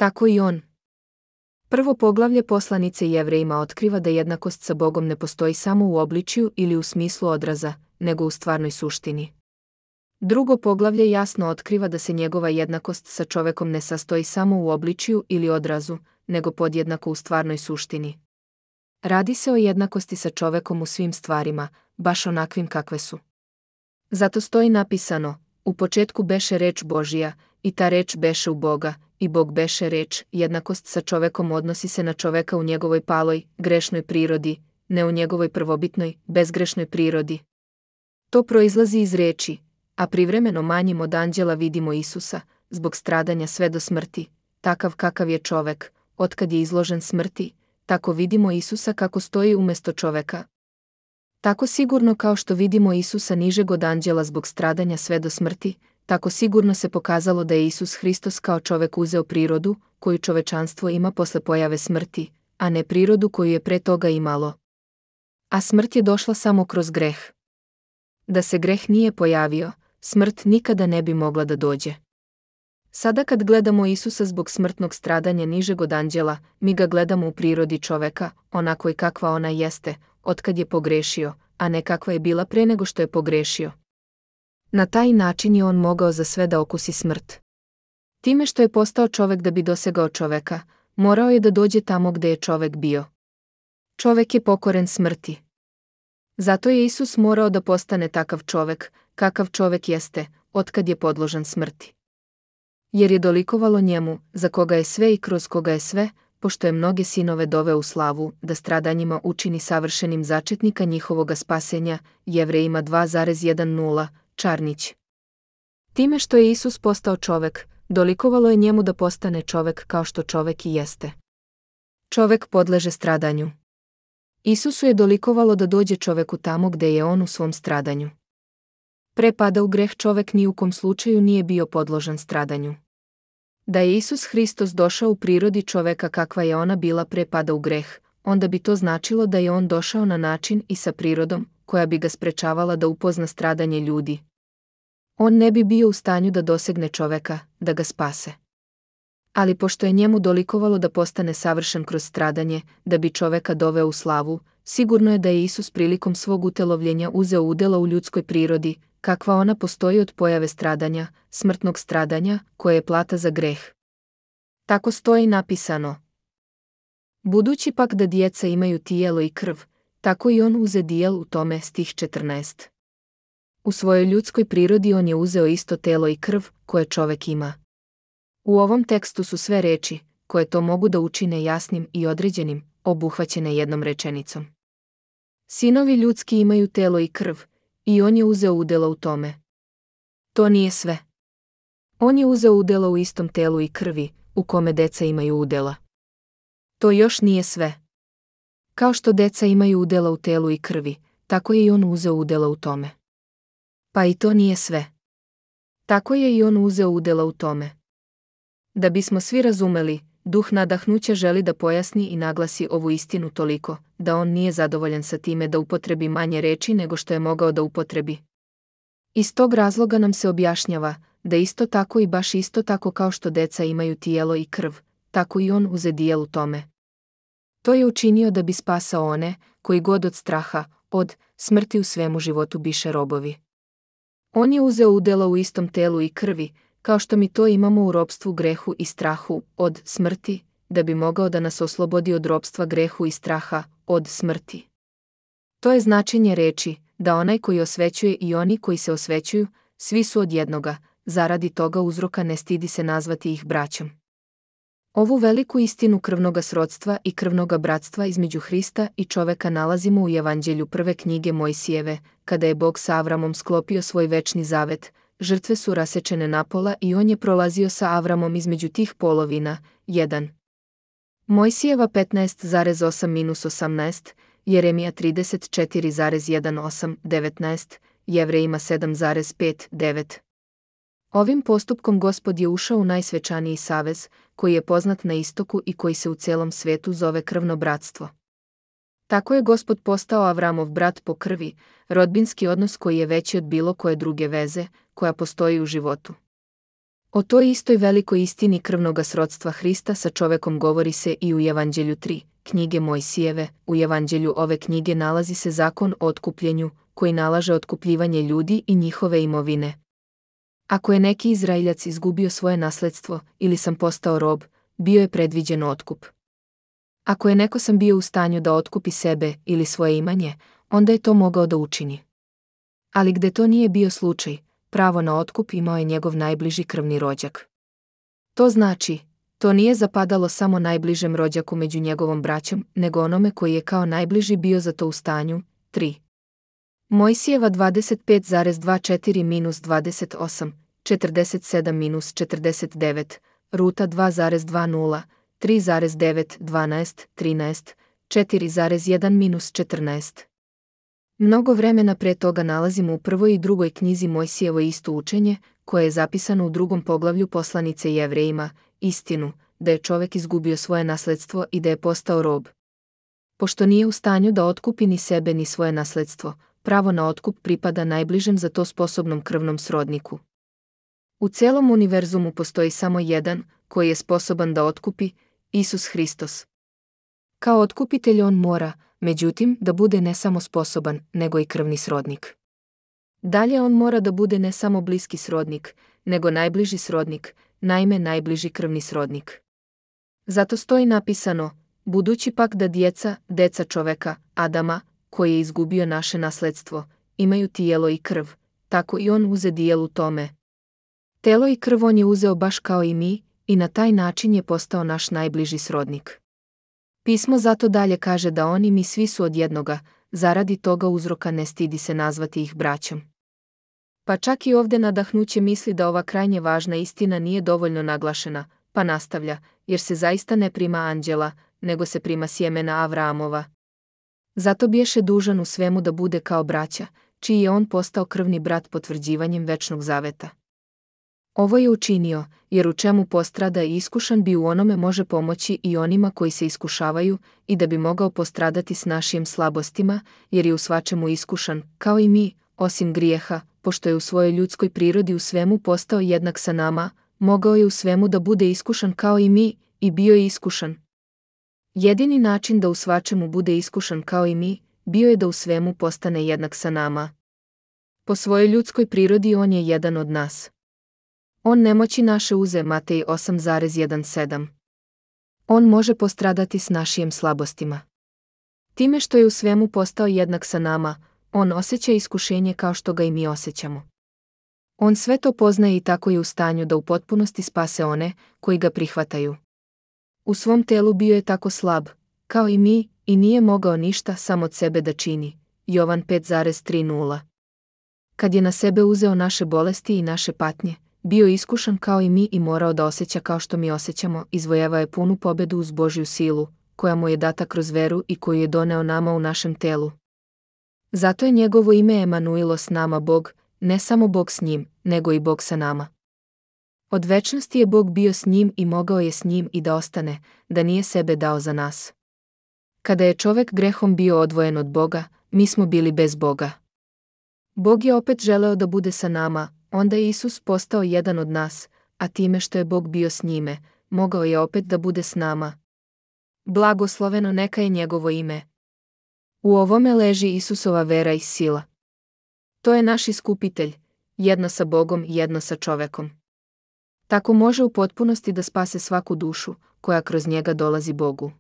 Tako i on. Prvo poglavlje poslanice Jevrejima otkriva da jednakost sa Bogom ne postoji samo u obličju ili u smislu odraza, nego u stvarnoj suštini. Drugo poglavlje jasno otkriva da se njegova jednakost sa čovekom ne sastoji samo u obličju ili odrazu, nego podjednako u stvarnoj suštini. Radi se o jednakosti sa čovekom u svim stvarima, baš onakvim kakve su. Zato stoji napisano: u početku beše reč Božija, i ta reč beše u Boga, i Bog beše reč. Jednakost sa čovekom odnosi se na čoveka u njegovoj paloj, grešnoj prirodi, ne u njegovoj prvobitnoj, bezgrešnoj prirodi. To proizlazi iz reči, a privremeno manjim od anđela vidimo Isusa, zbog stradanja sve do smrti, takav kakav je čovek, otkad je izložen smrti, tako vidimo Isusa kako stoji umjesto čoveka. Tako sigurno kao što vidimo Isusa nižeg od anđela zbog stradanja sve do smrti, tako sigurno se pokazalo da je Isus Hristos kao čovek uzeo prirodu, koju čovečanstvo ima posle pojave smrti, a ne prirodu koju je pre toga imalo. A smrt je došla samo kroz greh. Da se greh nije pojavio, smrt nikada ne bi mogla da dođe. Sada kad gledamo Isusa zbog smrtnog stradanja nižeg od anđela, mi ga gledamo u prirodi čoveka, onako i kakva ona jeste, otkad je pogrešio, a ne kakva je bila pre nego što je pogrešio. Na taj način je on mogao za sve da okusi smrt. Time što je postao čovek da bi dosegao čoveka, morao je da dođe tamo gde je čovek bio. Čovek je pokoren smrti. Zato je Isus morao da postane takav čovek, kakav čovek jeste, otkad je podložan smrti. Jer je dolikovalo njemu, za koga je sve i kroz koga je sve, pošto je mnoge sinove doveo u slavu, da stradanjima učini savršenim začetnika njihovoga spasenja, Jevrejima 2,10, Čarnić. Time što je Isus postao čovek, dolikovalo je njemu da postane čovek kao što čovek i jeste. Čovek podleže stradanju. Isusu je dolikovalo da dođe čoveku tamo gde je on u svom stradanju. Pre pada u greh čovek ni u kom slučaju nije bio podložan stradanju. Da je Isus Hristos došao u prirodi čoveka kakva je ona bila pre pada u greh, onda bi to značilo da je on došao na način i sa prirodom, koja bi ga sprečavala da upozna stradanje ljudi. On ne bi bio u stanju da dosegne čoveka, da ga spase. Ali pošto je njemu dolikovalo da postane savršen kroz stradanje, da bi čoveka doveo u slavu, sigurno je da je Isus prilikom svog utelovljenja uzeo udela u ljudskoj prirodi, kakva ona postoji od pojave stradanja, smrtnog stradanja, koje je plata za greh. Tako stoji napisano: budući pak da djeca imaju tijelo i krv, tako i on uze dijel u tome, stih 14. U svojoj ljudskoj prirodi on je uzeo isto telo i krv, koje čovek ima. U ovom tekstu su sve reči, koje to mogu da učine jasnim i određenim, obuhvaćene jednom rečenicom. Sinovi ljudski imaju telo i krv, i on je uzeo udjela u tome. To nije sve. On je uzeo udjela u istom telu i krvi, u kome deca imaju udjela. To još nije sve. Kao što deca imaju udjela u telu i krvi, tako je i on uzeo udjela u tome. Pa i to nije sve. Tako je i on uzeo udjela u tome. Da bismo svi razumeli, duh nadahnuća želi da pojasni i naglasi ovu istinu toliko, da on nije zadovoljan sa time da upotrebi manje reči nego što je mogao da upotrebi. Iz tog razloga nam se objašnjava, da isto tako i baš isto tako kao što deca imaju tijelo i krv, tako i on uze dijel u tome. To je učinio da bi spasao one, koji god od straha, od smrti u svemu životu biše robovi. On je uzeo udjela u istom telu i krvi, kao što mi to imamo u ropstvu grehu i strahu, od smrti, da bi mogao da nas oslobodi od ropstva grehu i straha, od smrti. To je značenje reči, da onaj koji osvećuje i oni koji se osvećuju, svi su od jednoga, zaradi toga uzroka ne stidi se nazvati ih braćom. Ovu veliku istinu krvnoga srodstva i krvnoga bratstva između Hrista i čoveka nalazimo u Evanđelju prve knjige Mojsijeve, kada je Bog sa Avramom sklopio svoj večni zavet, žrtve su rasečene napola i on je prolazio sa Avramom između tih polovina. 1. Mojsijeva 15,8-18, Jeremija 34,18, 19, Jevrejima 7,5-9. Ovim postupkom Gospod je ušao u najsvečaniji savez, koji je poznat na istoku i koji se u celom svetu zove krvno bratstvo. Tako je Gospod postao Avramov brat po krvi, rodbinski odnos koji je veći od bilo koje druge veze, koja postoji u životu. O toj istoj velikoj istini krvnoga srodstva Hrista sa čovekom govori se i u Evanđelju 3, knjige Mojsijeve. U Evanđelju ove knjige nalazi se zakon o otkupljenju, koji nalaže otkupljivanje ljudi i njihove imovine. Ako je neki Izraeljac izgubio svoje nasledstvo ili sam postao rob, bio je predviđen otkup. Ako je neko sam bio u stanju da otkupi sebe ili svoje imanje, onda je to mogao da učini. Ali gde to nije bio slučaj, pravo na otkup imao je njegov najbliži krvni rođak. To znači, to nije zapadalo samo najbližem rođaku među njegovom braćom, nego onome koji je kao najbliži bio za to u stanju. 3. Mojsijeva 25,24-28, 47-49, Ruta 2,20, 3,9, 12, 13, 4,1-14. Mnogo vremena pre toga nalazimo u prvoj i drugoj knjizi Mojsijevo isto učenje, koje je zapisano u 2. poglavlju poslanice Jevrejima, istinu, da je čovek izgubio svoje nasledstvo i da je postao rob. Pošto nije u stanju da otkupi ni sebe ni svoje nasledstvo, pravo na otkup pripada najbližem za to sposobnom krvnom srodniku. U celom univerzumu postoji samo jedan, koji je sposoban da otkupi, Isus Hristos. Kao otkupitelj on mora, međutim, da bude ne samo sposoban, nego i krvni srodnik. Dalje on mora da bude ne samo bliski srodnik, nego najbliži srodnik, naime najbliži krvni srodnik. Zato stoji napisano, budući pak da deca čoveka, Adama, koji je izgubio naše nasledstvo, imaju tijelo i krv, tako i on uze dijelu tome. Telo i krv on je uzeo baš kao i mi, i na taj način je postao naš najbliži srodnik. Pismo zato dalje kaže da on i mi svi su od jednoga, zaradi toga uzroka ne stidi se nazvati ih braćom. Pa čak i ovde nadahnuće misli da ova krajnje važna istina nije dovoljno naglašena, pa nastavlja, jer se zaista ne prima anđela, nego se prima sjemena Avraamova. Zato biješe dužan u svemu da bude kao braća, čiji je on postao krvni brat potvrđivanjem večnog zaveta. Ovo je učinio, jer u čemu postrada i iskušan bi u onome može pomoći i onima koji se iskušavaju, i da bi mogao postradati s našim slabostima, jer je u svačemu iskušan, kao i mi, osim grijeha, pošto je u svojoj ljudskoj prirodi u svemu postao jednak sa nama, mogao je u svemu da bude iskušan kao i mi, i bio je iskušan. Jedini način da u svačemu bude iskušan kao i mi, bio je da u svemu postane jednak sa nama. Po svojoj ljudskoj prirodi on je jedan od nas. On nemoći naše uze Matej 8,17. On može postradati s našim slabostima. Time što je u svemu postao jednak sa nama, on osjeća iskušenje kao što ga i mi osjećamo. On sve to poznaje i tako je u stanju da u potpunosti spase one koji ga prihvataju. U svom telu bio je tako slab, kao i mi, i nije mogao ništa sam od sebe da čini. Jovan 5,30. Kad je na sebe uzeo naše bolesti i naše patnje, bio iskušan kao i mi i morao da osjeća kao što mi osjećamo, izvojevao je punu pobedu uz Božju silu, koja mu je data kroz veru i koju je doneo nama u našem telu. Zato je njegovo ime Emanuilo s nama Bog, ne samo Bog s njim, nego i Bog sa nama. Od večnosti je Bog bio s njim i mogao je s njim i da ostane, da nije sebe dao za nas. Kada je čovek grehom bio odvojen od Boga, mi smo bili bez Boga. Bog je opet želeo da bude sa nama, onda je Isus postao jedan od nas, a time što je Bog bio s njime, mogao je opet da bude s nama. Blagosloveno neka je njegovo ime. U ovome leži Isusova vera i sila. To je naš iskupitelj, jedno sa Bogom i jedno sa čovekom. Tako može u potpunosti da spase svaku dušu, koja kroz njega dolazi Bogu.